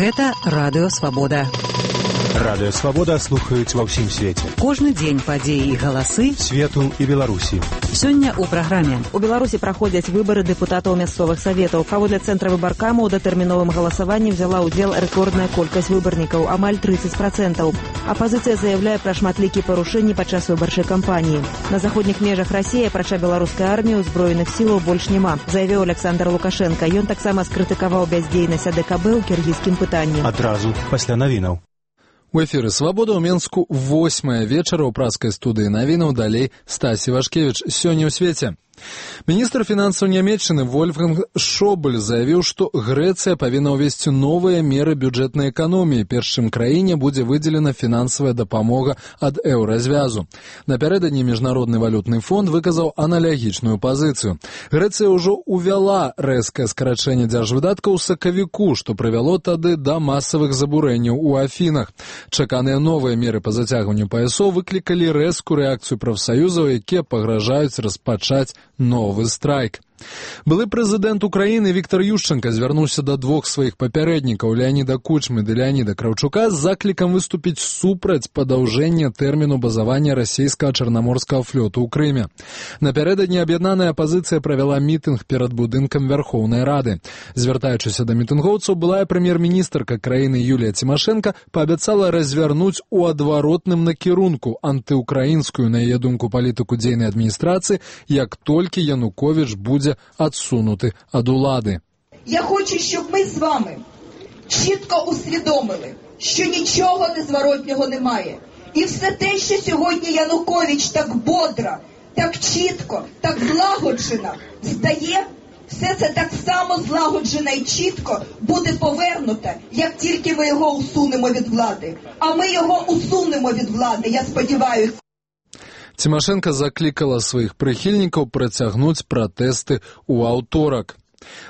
Гэта Радыё Свабода. Радыё Свабода слухаюць ва ўсім свеце. Кожны дзень падзеі і галасы свету і Беларусі. Сёння ў праграме. У Беларусі праходзяць выбары дэпутатаў мясцовых саветаў. Паводле цэнтра выбаркама ў датэрміновым галасаванні взяла ўдзел рэкордная колькасць выбарнікаў, амаль 30%. Апазіцыя заяўляе пра шматлікія парушэнні падчас выбарчай кампаніі. На заходніх межах Расіі, апрача беларускай арміі, узброеных сілаў больш няма, заявіў Александр Лукашенко. Ён таксама скрытыкаваў бяздзейнасць АДКБ ў кіргізскім пытанні. Адразу пасля навінаў. У эфіры «Свабода» ў Менску 8 вечара ў праскай студыі навінаў, далей Стасі Вашкевіч. Сёння ў свеце. Міністр фінансаў Нямецчыны Вольфганг Шобель заявіў, што Грэцыя павінна ўвесці новыя меры бюджэтнай эканоміі, перш чым краіне будзе выдзелена фінансавая дапамога ад еўразвязу. Напярэдадні Міжнародны валютны фонд выказаў аналагічную пазіцыю. Грэцыя ўжо ўвяла рэзкае скарачэнне дзяржвыдаткаў у сакавіку, што прывяло тады да масавых забурэнняў у Афінах. Чаканыя новыя меры па зацягванню паясоў выклікалі рэзкую рэакцыю прафсаюзаў, якія пагражаюць распачаць новы страйк. Былы прэзідэнт Украіны Віктор Ющенка звярнуўся да двух сваіх папярэднікаў Леаніда Кучмы ды Леаніда Краўчука з заклікам выступіць супраць падаўжэння тэрміну базавання расійскага чарнаморскага флоту ў Крыме. Напярэдадні аб'яднаная апазіцыя правяла мітынг перад будынкам Вярхоўнай Рады. Звяртаючыся да мітынгоўцаў, былая прэм'ер-міністрка краіны Юлія Цімашэнка паабяцала развярнуць у адваротным накірунку антыукраінскую, на яе думку, палітыку дзейнай адміністрацыі, як толькі Януковіч будзе відсунути ад улади. Я хочу, щоб ми з вами чітко усвідомили, що нічого незворотнього немає. І все те, що сьогодні Янукович так бодро, так чітко, так злагоджено здає, все це так само злагоджено і чітко буде повернуте, як тільки ми його усунемо від влади. А ми його усунемо від влади, я сподіваюся. Цімашэнка заклікала сваіх прыхільнікаў працягнуць пратэсты ў аўторак.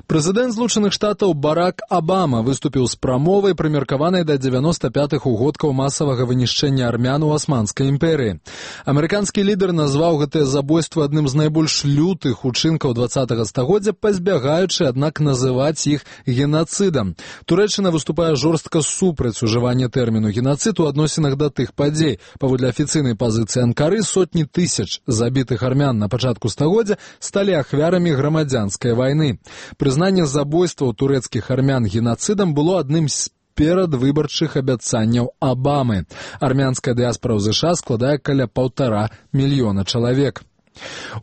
Прэзідэнт Злучаных Штатаў Барак Абама выступіў з прамовай, прымеркаванай да 95-х угодкаў масавага вынішчэння армян у Асманскай імперыі. Амерыканскі лідар назваў гэтае забойства адным з найбольш лютых учынкаў 20-го стагоддзя, пазбягаючы, аднак, называць іх генацыдам. Турэччына выступае жорстка супраць ужывання тэрміну генацыд у адносінах да тых падзей. Паводле афіцыйнай пазіцыі Анкары, сотні тысяч забітых армян на пачатку стагоддзя сталі ахвярамі грамадзянскай вайны. Прызнанне забойства турэцкіх армян генацыдам было адным з перадвыбарчых абяцанняў Абамы. Армянская дыяспара ў ЗША складае каля 1,5 мільёна чалавек.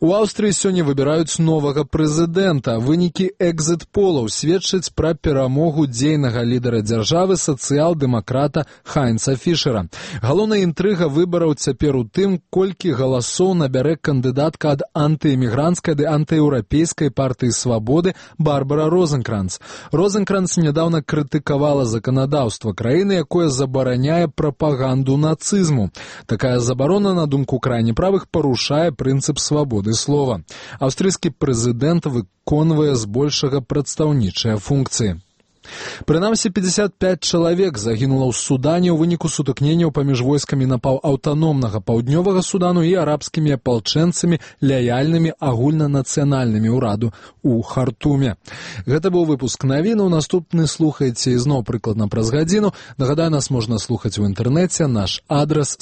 У Аўстрыі сёння выбіраюць новага прэзідэнта. Вынікі экзіт-полаў сведчаць пра перамогу дзейнага лідара дзяржавы сацыял-дэмакрата Хайнца Фішера. Галоўная інтрыга выбараў цяпер у тым, колькі галасоў набярэ кандыдатка ад антыэмігранцкай ды антыеўрапейскай партыі свабоды Барбара Розенкранц. Розенкранц нядаўна крытыкавала заканадаўства краіны, якое забараняе прапаганду нацызму. Такая забарона, на думку крайне правых, парушае прынцып свабоды слова. Аўстрыйскі прэзідэнт выконвае збольшага прадстаўнічыя функцыі. Прынамсі 55 чалавек загінула ў Судане ў выніку сутыкненняў паміж войскамі аўтаномнага паўднёвага Судану і арабскімі апалчэнцамі, лаяльнымі агульнанацыянальнымі ўраду ў Хартуме. Гэта быў выпуск навінаў. Наступны слухайце ізноў прыкладна праз гадзіну. Нагадаю, нас можна слухаць у інтэрнэце. Наш адрас